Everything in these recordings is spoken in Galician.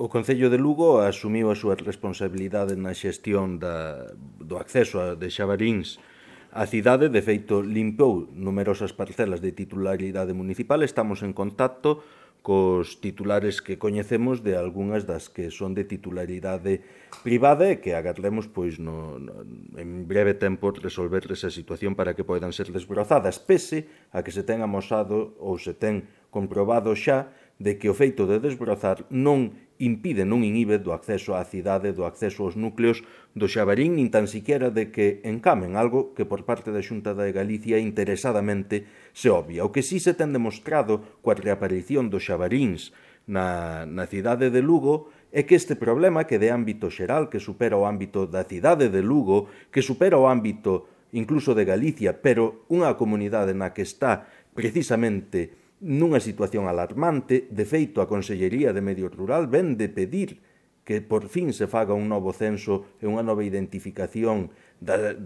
O Concello de Lugo asumiu a súa responsabilidade na xestión do acceso de Xabaríns á cidade. De feito, limpou numerosas parcelas de titularidade municipal. Estamos en contacto cos titulares que coñecemos de algunhas das que son de titularidade privada e que agardemos en breve tempo resolver esa situación para que poidan ser desbrozadas, pese a que se ten amosado ou se ten comprobado xa de que o feito de desbrozar non impide, non inhibe do acceso á cidade, do acceso aos núcleos do Xabarín, nin tan siquiera de que encamen, algo que por parte da Xunta de Galicia interesadamente se obvia. O que sí se ten demostrado coa reaparición dos Xabaríns na cidade de Lugo é que este problema, que de ámbito xeral, que supera o ámbito da cidade de Lugo, que supera o ámbito incluso de Galicia, pero unha comunidade na que está precisamente nunha situación alarmante. De feito, a Consellería de Medio Rural ven de pedir que por fin se faga un novo censo e unha nova identificación da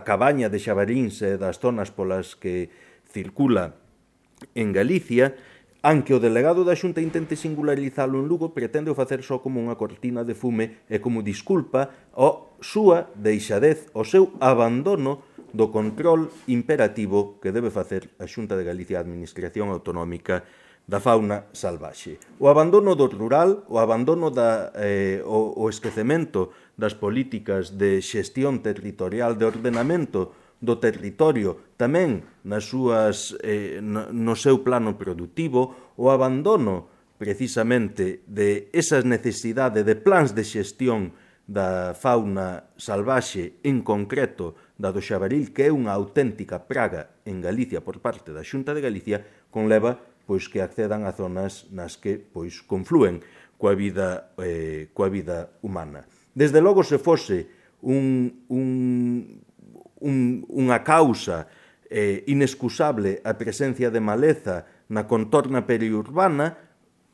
cabaña de Xabaríns e das zonas polas que circula en Galicia, aunque o delegado da Xunta intente singularizalo en Lugo, pretende o facer só como unha cortina de fume e como disculpa ao súa deixadez, ao seu abandono do control imperativo que debe facer a Xunta de Galicia, a Administración Autonómica da fauna salvaxe. O abandono do rural, o abandono o esquecemento das políticas de xestión territorial, de ordenamento do territorio, tamén no seu plano productivo, o abandono precisamente de esas necesidades de plans de xestión da fauna salvaxe, en concreto da do xabaril, que é unha auténtica praga en Galicia por parte da Xunta de Galicia, conleva que accedan a zonas nas que conflúen coa vida humana. Desde logo, se fose unha causa inexcusable a presencia de maleza na contorna periurbana,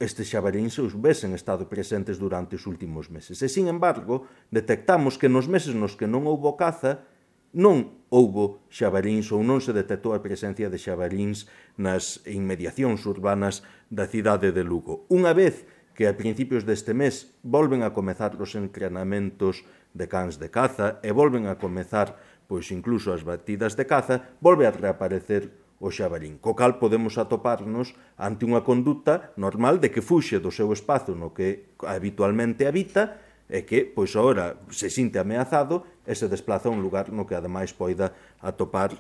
estes xabaríns houvesen estado presentes durante os últimos meses. E, sin embargo, detectamos que nos meses nos que non houbo caza, non houbo xabaríns ou non se detectou a presencia de xabaríns nas inmediacións urbanas da cidade de Lugo. Unha vez que a principios deste mes volven a comezar os entrenamentos de cans de caza e volven a comezar incluso as batidas de caza, volve a reaparecer o xabarín, co cal podemos atoparnos ante unha conduta normal de que fuxe do seu espazo no que habitualmente habita e que, agora se sinte ameazado e se desplaza a un lugar no que ademais poida atopar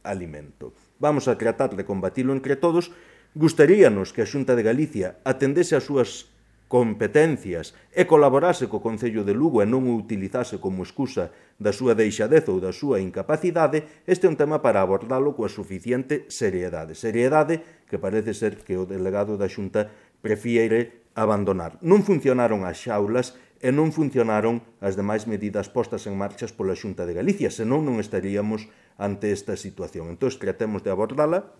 alimento. Vamos a tratar de combatilo entre todos. Gustaríanos que a Xunta de Galicia atendese as súas competencias e colaborase co Concello de Lugo e non o utilizase como excusa da súa deixadez ou da súa incapacidade. Este é un tema para abordalo coa suficiente seriedade. Seriedade que parece ser que o delegado da Xunta prefiere abandonar. Non funcionaron as xaulas e non funcionaron as demais medidas postas en marchas pola Xunta de Galicia, senón non estaríamos ante esta situación. Entón, tratemos de abordala,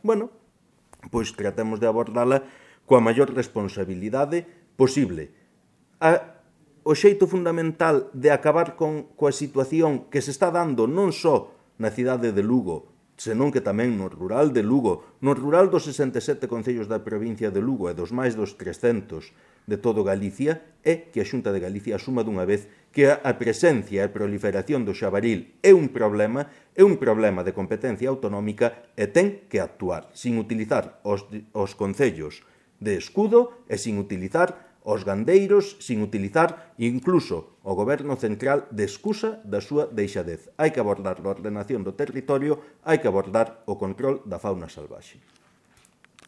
tratemos de abordala coa maior responsabilidade posible. O xeito fundamental de acabar coa situación que se está dando non só na cidade de Lugo, senón que tamén no rural de Lugo, no rural dos 67 concellos da provincia de Lugo e dos máis dos 300 de todo Galicia, é que a Xunta de Galicia asuma dunha vez que a presencia e a proliferación do xabaril é un problema de competencia autonómica e ten que actuar, sin utilizar os concellos de escudo e sin utilizar os gandeiros, sin utilizar incluso o goberno central de excusa da súa deixadez. Hai que abordar a ordenación do territorio, hai que abordar o control da fauna salvaxe.